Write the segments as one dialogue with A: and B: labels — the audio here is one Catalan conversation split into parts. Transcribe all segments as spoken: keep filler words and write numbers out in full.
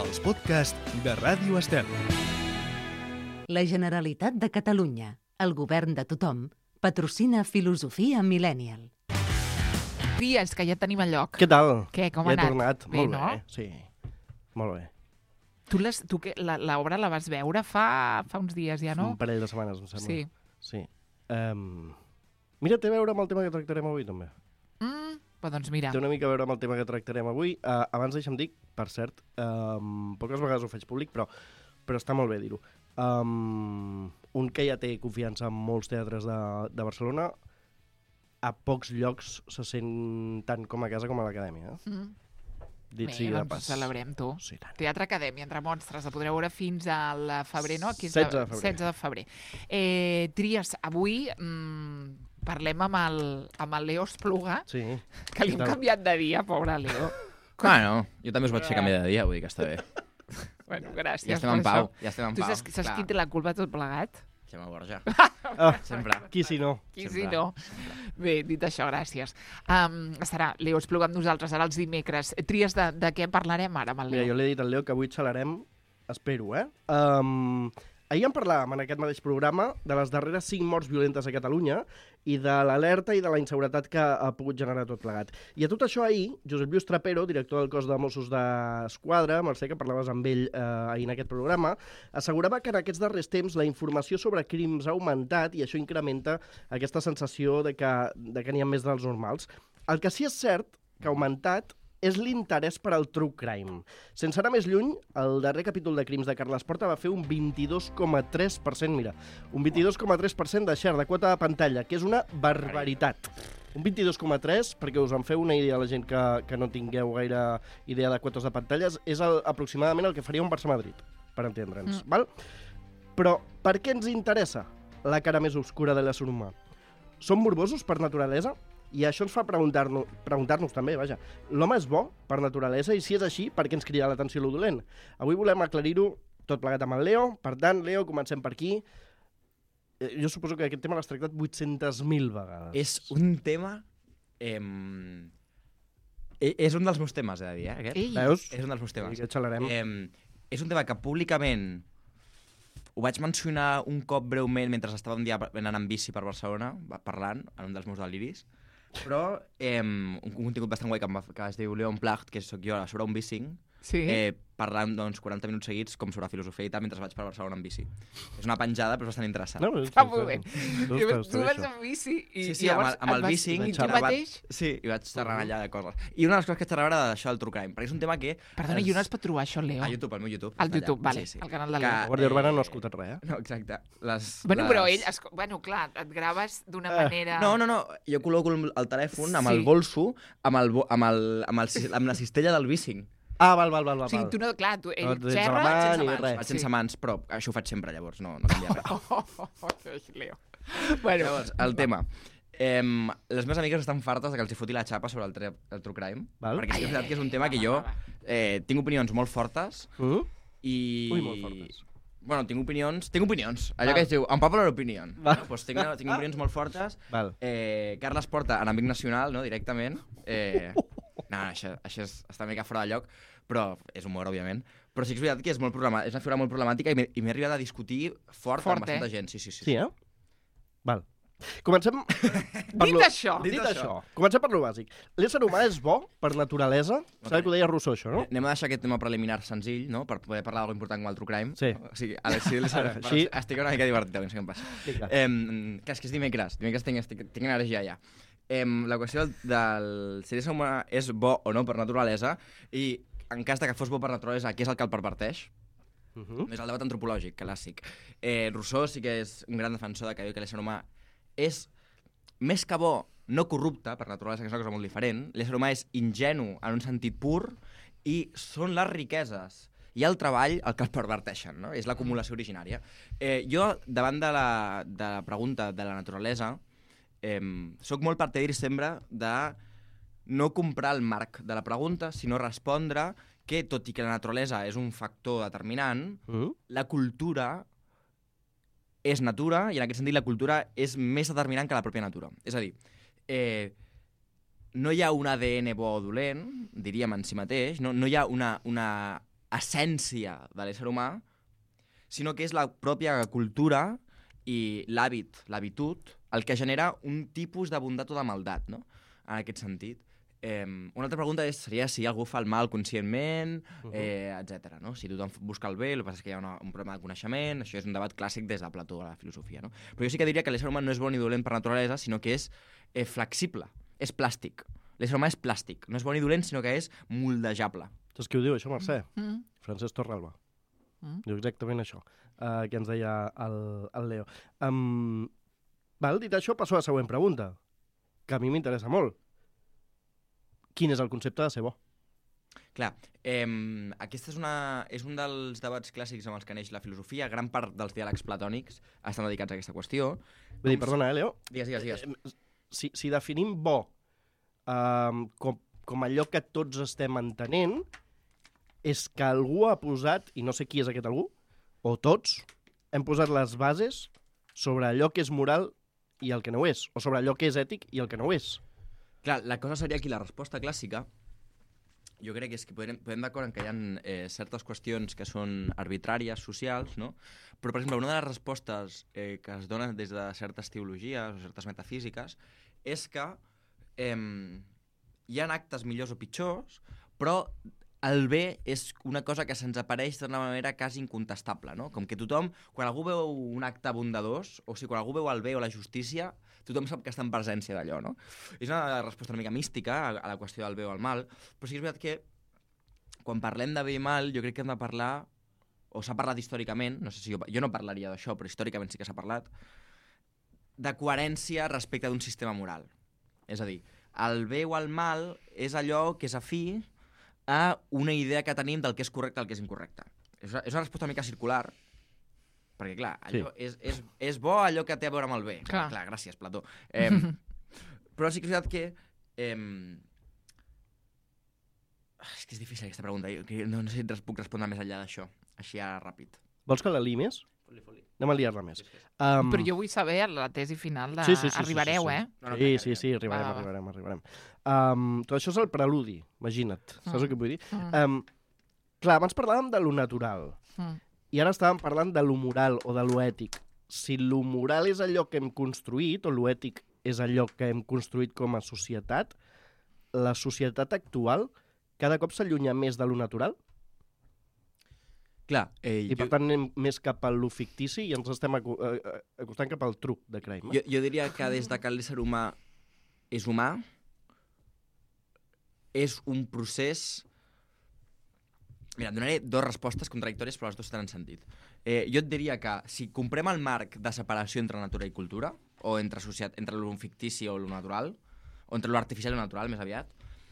A: els podcasts de Ràdio Estel.
B: La Generalitat de Catalunya, el govern de tothom, patrocina Filosofia Millennial.
C: Dies, que ja tenim el lloc.
D: Què tal?
C: Què, com
D: ja
C: ha anat?
D: he tornat.
C: Bé,
D: Molt
C: no?
D: bé, sí. Molt bé.
C: Tu, les, tu que, la, l'obra la vas veure fa, fa uns dies ja, no?
D: Un parell de setmanes, em sembla.
C: Sí.
D: Sí. Um, mira, té a veure amb el tema que tractarem avui, també.
C: Mm, però doncs mira.
D: Té una mica a veure amb el tema que tractarem avui. Uh, abans deixa'm dir, per cert, um, poques vegades ho faig públic, però, però està molt bé dir-ho. Um, un que ja té confiança en molts teatres de, de Barcelona, a pocs llocs se sent tant com a casa com a l'acadèmia. Eh?
C: Mm.
D: Dit
C: Bé,
D: sigui de
C: doncs
D: pas.
C: celebrem, tu.
D: Sí, tant.
C: Teatre Acadèmia, entre monstres, el podreu veure fins al febrer, no? Aquí és
D: setze de febrer.
C: setze de febrer. Eh, Tries, avui mm, parlem amb el, amb el Leo Espluga,
D: Sí.
C: que li hem
D: Tal.
C: canviat de dia, pobre Leo.
E: Bueno, jo també us vaig fer canviar de dia, vull dir que està bé.
C: Bueno, gràcies
E: Ja estem
C: per
E: en pau,
C: això.
E: ja estem en
C: Tu
E: pau.
C: saps, saps qui té la culpa de tot plegat?
E: Xema Borja.
D: Ah,
E: Sempre.
D: qui si no?
C: Qui
E: Sempre.
C: si no? Bé, dit això, gràcies. Um, estarà Leo Espluga amb nosaltres ara els dimecres. Tries, de, de què parlarem ara amb el
D: Mira,
C: Leo?
D: jo l'he dit al Leo que avui xalarem, espero, eh? Um, ahir en parlàvem en aquest mateix programa de les darreres cinc morts violentes a Catalunya i de l'alerta i de la inseguretat que ha pogut generar tot plegat. I a tot això ahir, Josep Lluís Trapero, director del cos de Mossos d'Esquadra, Mercè, que parlaves amb ell eh, ahir en aquest programa, assegurava que en aquests darrers temps la informació sobre crims ha augmentat i això incrementa aquesta sensació de que, de que n'hi ha més dels normals. El que sí és cert que ha augmentat és l'interès per al true crime. Sense anar més lluny, el darrer capítol de Crims de Carles Porta va fer un vint-i-dos coma tres per cent, mira, un vint-i-dos coma tres per cent de share, de quota de pantalla, que és una barbaritat. Un vint-i-dos coma tres, perquè us en feu una idea a la gent que, que no tingueu gaire idea de quotes de pantalles, és el, aproximadament el que faria un Barça-Madrid, per entendre'ns, mm. val? Però per què ens interessa la cara més obscura de l'ésser humà? Som morbosos per naturalesa? I això ens fa preguntar-nos preguntar-nos també, vaja, l'home és bo per naturalesa i si és així, per què ens crida l'atenció lo dolent? Avui volem aclarir-ho tot plegat amb el Leo, per tant, Leo, comencem per aquí. Eh, jo suposo que aquest tema l'has tractat vuit-centes mil vegades.
E: És un tema... Eh, és un dels meus temes, he de dir, eh, aquest.
C: Ei.
D: Veus?
E: És un dels meus temes.
D: I que xalarem.
E: Eh, és un tema que públicament ho vaig mencionar un cop breument mentre estava un dia anant en bici per Barcelona, parlant, en un dels meus deliris, però eh, un contingut bastant guai que, em va, que es diu Leon Placht, que sóc jo sobre un bicing,
C: Sí.
E: eh, parlant doncs, quaranta minuts seguits com sobre filosofia i tal mentre vaig per Barcelona en bici. És una penjada, però és bastant interessant.
D: No,
C: Està molt bé.
D: Està,
C: I
D: està,
C: tu
D: està,
C: vas
D: això.
C: amb bici i,
E: Sí,
C: i
E: sí,
C: llavors
E: amb el, amb el
C: et vas-
E: bicing...
C: i tu
D: xerrava-
C: mateix...
E: Sí, i vaig xerrant allà de coses. I una de les coses que xerrava era d'això del true crime, perquè és un tema que...
C: Perdona, i on es pot trobar això, Leo?
E: A YouTube, al meu YouTube.
C: Al
E: està allà.
C: YouTube, vale,
E: Sí, sí.
C: al canal de
E: Que-
C: Leo.
D: La Guàrdia Urbana no ha escoltat res, eh?
E: No, exacte. Les,
C: Bueno,
E: les...
C: però ell... Es... Bueno, clar, et graves d'una
D: Eh.
C: manera...
E: No, no, no. Jo col·loco el, el telèfon amb
C: Sí.
E: el bolso, amb, el, bo- amb, el, amb, el, amb la cistella del bicing.
D: Ah, val, val, val, val.
C: O sigui,
D: val.
C: tu no... Clar, tu, ell
D: No, tens a la
C: xerra...
D: mà
C: sense
D: ni
C: mans.
D: res.
E: Vaig sense mans, però això ho faig sempre, llavors no, no canvia res.
C: Oh, oh, oh, Leo. Bueno,
E: Llavors, el tema. Eh, les meves amigues estan fartes de que els hi foti la xapa sobre el, tre- el true crime,
D: Val.
E: perquè sí que és veritat que és un tema
C: va,
E: que
C: va,
E: jo
C: va, va.
E: eh, tinc opinions molt fortes
D: Mm?
E: i...
D: Ui, molt fortes.
E: Bueno, tinc opinions... Tinc opinions. Allò
D: Val.
E: que es diu unpopular opinion.
D: Val.
E: No? Pues tinc, tinc opinions molt fortes.
D: Val.
E: Eh, Carles Porta, enemic nacional, no? Directament. Eh, no, no, això, això és, està una mica fora de lloc, però és humor, òbviament. Però sí que és veritat que és, molt problema, és una figura molt problemàtica i m'he i m'he arribat a discutir fort,
C: Fort,
E: amb bastanta
C: eh?
E: gent. Sí, sí, sí.
D: Sí, eh? Val. Comencem... per
C: dit
D: lo-
C: això...
D: Dit això, comencem per lo bàsic. L'ésser humà és bo per naturalesa? Saps que ho deia Rousseau, això, no?
E: Anem a deixar aquest tema preliminar senzill, no? Per poder parlar d'alguna important com el true crime.
D: Sí.
E: O sigui, a l'Exil
D: Ara,
E: així...
D: així-
E: estic una mica divertit, no sé què em passa.
D: Vinga.
E: Eh, que és que és dimecres. Dimecres tinc, estic, tinc energia ja. Eh, la qüestió del, del si l'ésser humà és bo o no per naturalesa i en cas de que fos bo per naturalesa, què és el que el perverteix?
D: Uh -huh.
E: És el debat antropològic, clàssic. Eh, Rousseau sí que és un gran defensor de que diu que l'ésser humà és més que bo, no corrupte, per naturalesa, que és una cosa molt diferent. L'ésser humà és ingenu en un sentit pur i són les riqueses i el treball el que el perverteixen, no? És l'acumulació originària. Eh, jo, davant de la, de la pregunta de la naturalesa, eh, soc molt partidari sempre de no comprar el marc de la pregunta, sinó respondre que, tot i que la naturalesa és un factor determinant,
D: Uh -huh.
E: la cultura és natura, i en aquest sentit la cultura és més determinant que la pròpia natura. És a dir, eh, no hi ha un A D N bo o dolent, diríem en si mateix, no, no hi ha una, una essència de l'ésser humà, sinó que és la pròpia cultura i l'hàbit, l'habitud, el que genera un tipus de bondat o de maldat, no? En aquest sentit. Eh, una altra pregunta és, seria si algú fa el mal conscientment, eh, etcètera. No? Si tothom busca el bé, el que passa és que hi ha una, un problema de coneixement, això és un debat clàssic des de Plató a la filosofia. No? Però jo sí que diria que l'ésser humà no és bo ni dolent per naturalesa, sinó que és eh, flexible, és plàstic. L'ésser humà és plàstic, no és bo ni dolent, sinó que és moldejable.
D: Saps qui ho diu, això, Mercè?
C: Mm.
D: Francesc Torralba.
C: Mm.
D: Diu exactament això, uh, que ens deia el, el Leo. Um, val, dit això, passo a la següent pregunta, que a mi m'interessa molt. Quin és el concepte de ser bo?
E: Clar, eh, aquest és, una, és un dels debats clàssics amb els que neix la filosofia. Gran part dels diàlegs platònics estan dedicats a aquesta qüestió.
D: Vull dir, perdona, eh, Leo?
E: Digues, digues, digues.
D: Eh, Si, si definim bo um, com, com allò que tots estem entenent, és que algú ha posat, i no sé qui és aquest algú, o tots, hem posat les bases sobre allò que és moral i el que no ho és, o sobre allò que és ètic i el que no ho és.
E: Clar, la cosa seria aquí, la resposta clàssica, jo crec que és que podem, podem d'acord en que hi ha eh, certes qüestions que són arbitràries, socials, no? Però, per exemple, una de les respostes eh, que es donen des de certes teologies o certes metafísiques és que eh, hi ha actes millors o pitjors, però el bé és una cosa que se'ns apareix d'una manera quasi incontestable, no? Com que tothom, quan algú veu un acte bondadós, o sigui, quan algú veu el bé o la justícia, tothom sap que està en presència d'allò, no? És una resposta una mica mística a, a la qüestió del bé o el mal, però sí que és veritat que quan parlem de bé i mal, jo crec que hem de parlar, o s'ha parlat històricament, no sé si jo, jo no parlaria d'això, però històricament sí que s'ha parlat, de coherència respecte d'un sistema moral. És a dir, el bé o el mal és allò que és afí a una idea que tenim del que és correcte i el que és incorrecte. És una, és una resposta una mica circular, perquè, clar, allò sí. és, és, és bo allò que té a veure amb el bé. Clar, clar gràcies, Plató. Eh, però sí que és veritat que... Eh, és que és difícil aquesta pregunta. Jo, que no, no sé si puc respondre més enllà d'això, així ara ràpid.
D: Vols que la liï més?
E: Foli, foli.
D: Anem a liar-la més.
C: Sí, sí.
D: Um...
C: Però jo vull saber la tesi final de...
D: Sí, sí, sí,
C: arribareu,
D: sí, sí, sí.
C: eh?
E: No, no,
D: sí, sí, sí, arribarem,
C: va, va.
D: arribarem, arribarem. Um, tot això és el preludi, imagina't. Saps
C: Mm.
D: el que vull dir?
C: Mm.
D: Um, clar, abans parlàvem de lo natural.
C: Mm.
D: I ara estàvem parlant de lo moral o de lo ètic. Si lo moral és allò que hem construït, o lo ètic és allò que hem construït com a societat, la societat actual cada cop s'allunya més de lo natural
E: Clar, eh,
D: i per
E: jo,
D: tant anem més cap a lo fictici i ens estem acu eh, eh, acostant cap al truc de crime.
E: jo, jo diria que des de que l'ésser humà és humà, és un procés... Mira, et donaré dues respostes contradictòries, però les dues tenen sentit. Eh, jo et diria que si comprem el marc de separació entre natura i cultura, o entre, societat, entre lo fictici o lo natural, o entre lo artificial i lo natural, més aviat,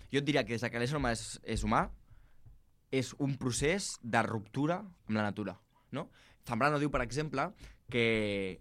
E: jo et diria que des de que l'ésser humà és, és humà, és un procés de ruptura amb la natura. No? Zambrano diu, per exemple, que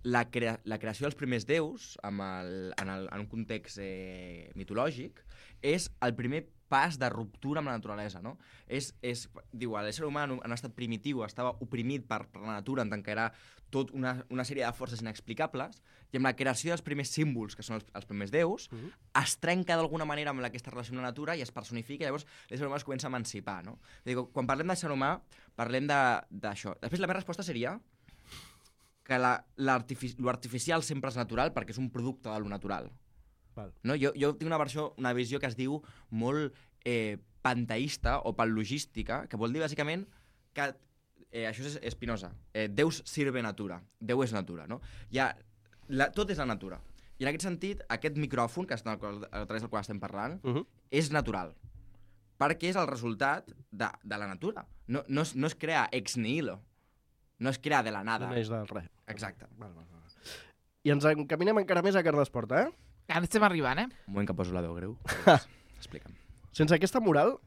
E: la, crea la creació dels primers déus, amb el, en, el, en un context eh, mitològic, és el primer pas de ruptura amb la naturalesa. No? És, és, diu, l'ésser humà en un estat primitiu estava oprimit per, per la natura en tant que era tot una, una sèrie de forces inexplicables, i amb la creació dels primers símbols, que són els, els primers déus, uh -huh. es trenca d'alguna manera amb aquesta relació amb la natura i es personifica, i llavors l'ésser humà es comença a emancipar. No? Dic, quan parlem d'ésser humà, parlem d'això. Després la meva resposta seria que l'artificial sempre és natural perquè és un producte de lo natural.
D: Val.
E: No? Jo, jo tinc una versió, una visió que es diu molt eh, panteísta o panlogística, que vol dir bàsicament que eh, això és Spinoza, eh, Deus sirve natura, Déu és natura, no? Ja, la, tot és la natura. I en aquest sentit, aquest micròfon, que és el, a través del qual estem parlant, uh -huh. és natural, perquè és el resultat de, de la natura. No, no, es, no es crea ex nihilo, no es crea de la nada.
D: No és del res.
E: Exacte.
D: Val, val, val. I ens encaminem encara més a Carles Porta, eh?
C: Ara estem arribant, eh?
E: Un moment que poso la veu greu. Explica'm.
D: Sense aquesta moral,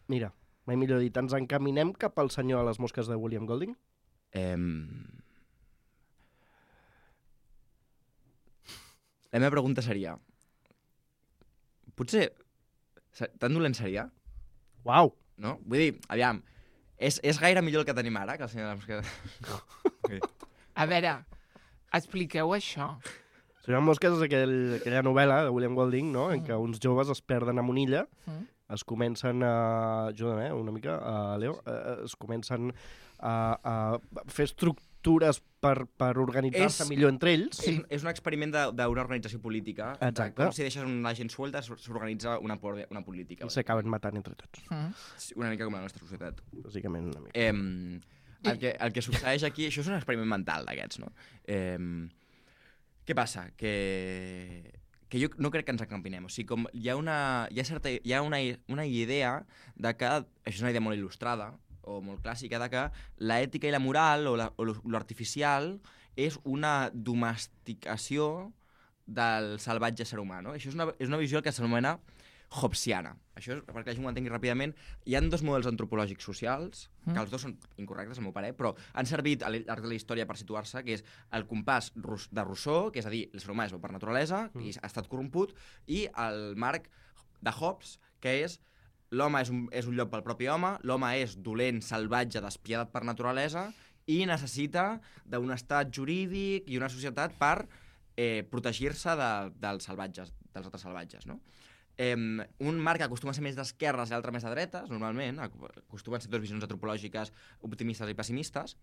D: mira, mai millor dit, ens encaminem cap al senyor a les mosques de William Golding?
E: Eh... La meva pregunta seria... Potser... Tan dolent seria?
D: Uau!
E: No? Vull dir, aviam, és, és gaire millor el que tenim ara que el senyor de les mosques... Okay.
C: A veure, expliqueu això.
D: Senyor Mosques és aquell, aquella novel·la de William Golding, no?, en què uns joves es perden a una illa,
C: Mm.
D: es comencen a... Ajuda'm, eh, una mica, uh, Leo. Uh, es comencen a, a fer estructures per, per organitzar-se
E: És-
D: millor entre ells.
E: Sí. És, és un experiment de- d'una organització política.
D: Exacte.
E: Com si deixes una gent suelta, s'or- s'organitza una, por- una política.
D: I s'acaben matant entre tots,
C: Mm.
E: Sí, una mica com la nostra societat.
D: bàsicament una mica.
E: Eh, el, que, el que succeeix aquí, això és un experiment mental d'aquests, no? Eh, què passa? Que, que jo no crec que ens acampinem. O sigui, com hi ha una, hi ha certa, hi ha una, una idea de que, això és una idea molt il·lustrada, o molt clàssica, de que l'ètica i la moral, o la- o lo- l'artificial, és una domesticació del salvatge ser humà, no? Això és una, és una visió que s'anomena hobbesiana. Això és, perquè la gent ho entengui ràpidament, hi ha dos models antropològics socials,
C: Mm.
E: que els dos són incorrectes, al meu parer, però han servit al llarg de la història per situar-se, que és el compàs rus- de Rousseau, que és a dir, l'ésser humà és bo per naturalesa,
D: Mm.
E: i ha estat corromput, i el marc de Hobbes, que és l'home és un, és un lloc pel propi home, l'home és dolent, salvatge, despiadat per naturalesa, i necessita d'un estat jurídic i una societat per eh, protegir-se de, dels salvatges, dels altres salvatges, no? Eh, un marc que acostuma a ser més d'esquerres i l'altre més de dretes, normalment, acostumen a ser dues visions antropològiques optimistes i pessimistes.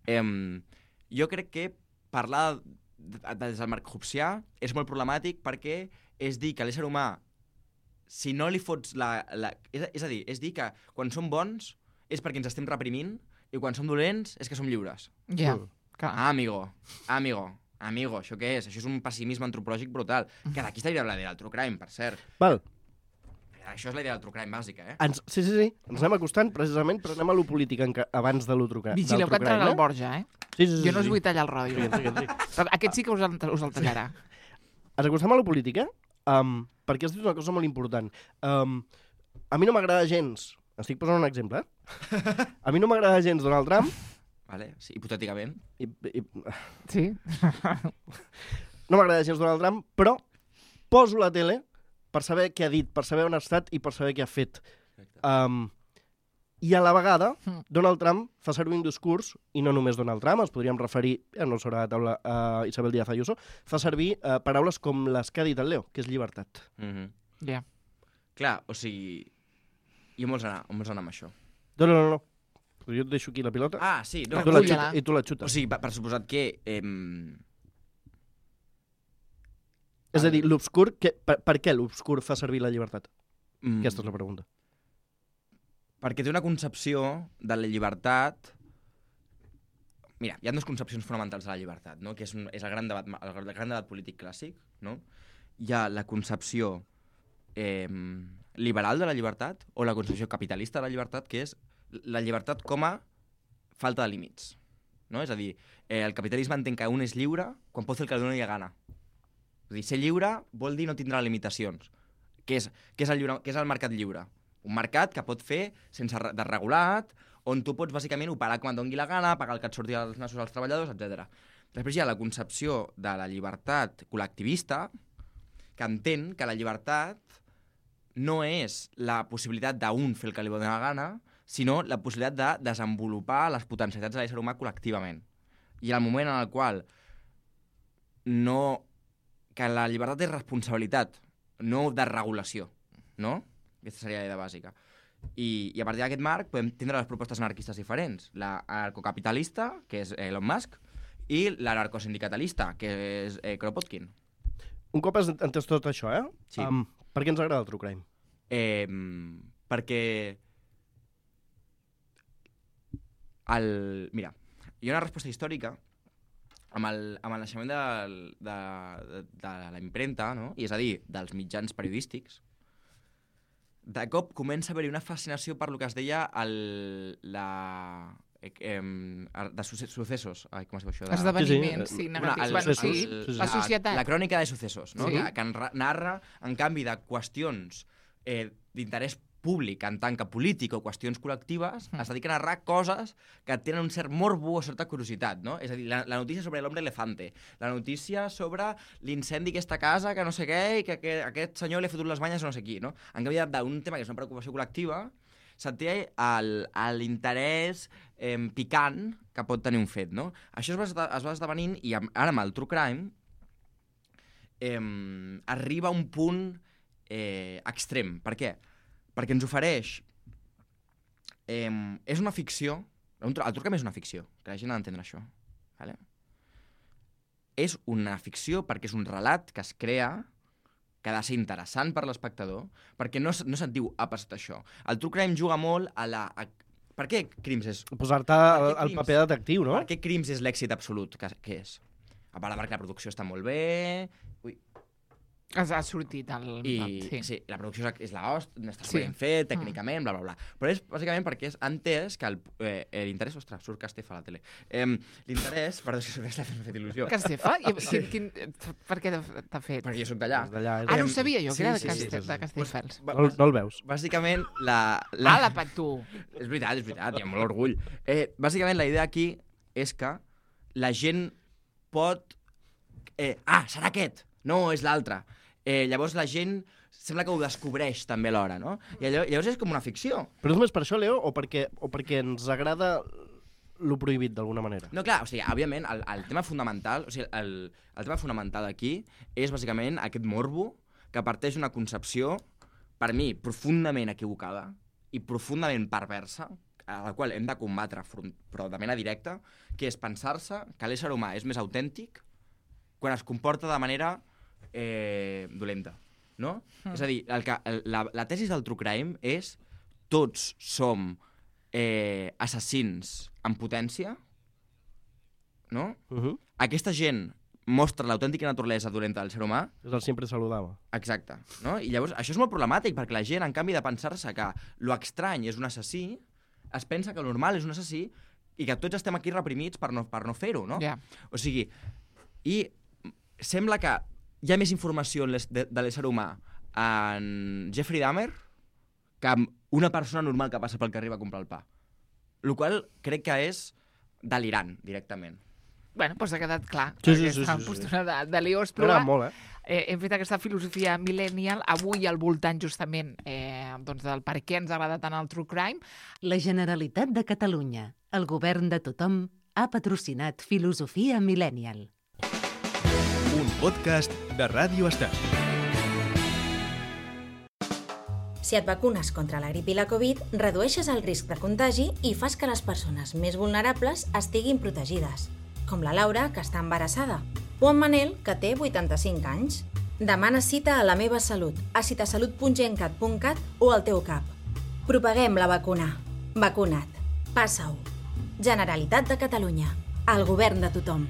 E: Eh, jo crec que parlar de, de, des del marc hobbesià és molt problemàtic perquè és dir que l'ésser humà, si no li fots la... la és, és a dir, és dir que quan som bons és perquè ens estem reprimint i quan som dolents és que som lliures.
C: Ja,
D: Mm.
C: clar.
E: Ah, amigo, amigo, amigo, això què és? Això és un pessimisme antropològic brutal. Que d'aquí estaria la idea del true crime, per cert.
D: Val,
E: Això és la idea del true crime bàsica, eh?
D: ens, sí, sí, sí, ens anem acostant precisament, però anem a lo polític enca, abans de lo trucar.
C: Vigileu que entrarà el Borja, eh?
D: Sí, sí, sí,
C: Jo no us
D: sí.
C: vull tallar el rotllo.
D: Sí, sí, sí.
C: Però aquest sí que us el, us el tallarà.
D: Ens acostem a la política um, perquè has dit una cosa molt important. Um, a mi no m'agrada gens, estic posant un exemple, eh? A mi no m'agrada gens Donald Trump,
E: Vale? Sí, hipotèticament.
D: i, i,
C: Sí?
D: no m'agrada gens Donald Trump, però poso la tele per saber què ha dit, per saber on ha estat i per saber què ha fet. Um, I a la vegada,
C: Mm.
D: Donald Trump fa servir un discurs, i no només Donald Trump, ens podríem referir, ja no sobre la taula, a Isabel Díaz Ayuso, fa servir uh, paraules com les que ha dit el Leo, que és llibertat.
E: Mm -hmm.
C: Ja.
E: Clar, o sigui... I on vols anar? On vols anar amb això?
D: No, no, no, no. Jo et deixo aquí la pilota
E: Ah, sí, no.
D: i, tu la
C: Recull-la.
D: xuta, i tu la xutes.
E: O sigui, per, per suposat que... Eh,
D: És a dir, l'obscur, que, per, per què l'obscur fa servir la llibertat?
E: mm,
D: Aquesta és la pregunta.
E: Perquè té una concepció de la llibertat... Mira, hi ha dues concepcions fonamentals de la llibertat, no? Que és, un, és el, gran debat, el gran debat polític clàssic, no? Hi ha la concepció eh, liberal de la llibertat o la concepció capitalista de la llibertat, que és la llibertat com a falta de límits. No? És a dir, eh, el capitalisme entén que un és lliure quan pot fer el que li doni la gana. És a dir, ser lliure vol dir no tindrà limitacions. Què és, què és, el, lliure, què és el mercat lliure? Un mercat que pot fer sense re- de regulat, on tu pots bàsicament operar com et doni la gana, pagar el que et surti als nassos als treballadors, etcètera. Després hi ha la concepció de la llibertat col·lectivista, que entén que la llibertat no és la possibilitat d'un fer el que li doni la gana, sinó la possibilitat de desenvolupar les potencialitats de l'ésser humà col·lectivament. I en el moment en el qual no... que la llibertat és responsabilitat, no de regulació, no? Aquesta seria la idea bàsica. I, i a partir d'aquest marc podem tindre les propostes anarquistes diferents. L'anarcocapitalista, que és Elon Musk, i l'anarcosindicatalista, que és eh, Kropotkin.
D: Un cop has entès tot això, eh?
E: Sí.
D: Um, per què ens agrada el true crime?
E: Eh, perquè... El... Mira, hi ha una resposta històrica amb el, amb el naixement de, de, de, de la impremta, no? I és a dir, dels mitjans periodístics. De cop comença a haver-hi una fascinació per lo que es deia el, la... Eh, eh, de successos. Ai, com es diu això? De...
C: Esdeveniments,
D: Sí,
C: sí,
D: sí.
C: negatius.
E: el-
C: Bueno, sí,
D: sí, sí.
C: la societat.
E: La, la crònica de successos, no?
C: Sí.
E: Que, que enra- narra, en canvi, de qüestions eh, d'interès públic en tant que polític o qüestions col·lectives,
C: Mm.
E: es dediquen a narrar coses que tenen un cert morbo o certa curiositat, no? És a dir, la, la notícia sobre l'hombre elefante, la notícia sobre l'incendi d'aquesta casa, que no sé què, i que, que aquest senyor li ha fotut les banyes a no sé qui, no? En canvi, d'un tema que és una preocupació col·lectiva, se'n té el- l'interès eh, picant que pot tenir un fet, no? Això es va, esde- es va esdevenint, i amb, ara amb el true crime, eh, arriba a un punt eh, extrem. Per què? perquè ens ofereix... Eh, és una ficció, el True Crime és una ficció, que la gent ha d'entendre això. Vale? És una ficció perquè és un relat que es crea, que ha de ser interessant per l'espectador, perquè no, no se't diu ha passat això. El True Crime juga molt a la... A... Per què Crims és...
D: Posar-te el, el paper de detectiu, no?
E: Per què Crims és l'èxit absolut que, que és? A part perquè la producció està molt bé... Ui.
C: Ha sortit el...
E: I
C: sí.
E: sí, la producció és l'host, està
C: Sí.
E: ben fet, tècnicament, bla, bla, bla. Però és bàsicament perquè és entès que el, eh, l'interès... Ostres, surt Castefa a la tele. Eh, l'interès... Perdó, si m'ha fet il·lusió.
C: Castefa? I, quin, quin, per què t'ha fet?
E: Perquè jo soc d'allà.
D: D'allà, és
C: Ah, no
D: de-
C: ho sabia jo, que
E: Sí,
C: era de,
E: sí, sí,
C: Caste,
E: sí.
C: de Castelldefels.
E: Ba-
D: No, no el veus.
E: Bàsicament, la... la...
C: Ah, la pat tu.
E: És veritat, és veritat, hi ha molt orgull. Eh, bàsicament, la idea aquí és que la gent pot... Eh, ah, serà aquest! No, és l'altre. Eh, llavors la gent sembla que ho descobreix també alhora, no? I allò, llavors és com una ficció.
D: Però és més per això, Leo, o perquè, o perquè ens agrada lo prohibit, d'alguna manera?
E: No, clar, o sigui, òbviament, el, el tema fonamental, o sigui, el, el tema fonamental aquí és bàsicament aquest morbo que parteix d'una concepció, per mi, profundament equivocada i profundament perversa, a la qual hem de combatre, front, però de manera directa, que és pensar-se que l'ésser humà és més autèntic quan es comporta de manera eh, dolenta, no? Mm. És a dir, el que, el, la, la tesi del True Crime és tots som eh, assassins en potència, no?
D: Uh -huh.
E: Aquesta gent mostra l'autèntica naturalesa dolenta del ser humà.
D: És el sempre saludava.
E: Exacte, no? I llavors això és molt problemàtic perquè la gent, en canvi de pensar-se que lo estrany és un assassí, es pensa que el normal és un assassí i que tots estem aquí reprimits per no, per no fer-ho, no?
C: Ja.
E: O sigui, i sembla que hi ha més informació de, de l'ésser humà en Jeffrey Dahmer que en una persona normal que passa pel carrer va comprar el pa. El qual crec que és delirant, directament.
C: Bueno, doncs ha quedat clar.
D: Sí, sí,
C: aquesta
D: sí, sí, sí.
C: postura de, de Leo
D: M'agrada
C: Espluga.
D: molt, eh?
C: Eh, hem fet aquesta filosofia millennial avui al voltant justament eh, doncs del per què ens agrada tant el True Crime.
B: La Generalitat de Catalunya, el govern de tothom, ha patrocinat Filosofia Millennial.
A: Un podcast de Ràdio Estel.
F: Si et vacunes contra la grip i la Covid, redueixes el risc de contagi i fas que les persones més vulnerables estiguin protegides, com la Laura, que està embarassada, o en Manel, que té vuitanta-cinc anys. Demana cita a La Meva Salut, a citasalut punt gencat punt cat o al teu cap. Propaguem la vacuna. Vacuna't. Passa-ho. Generalitat de Catalunya. El govern de tothom.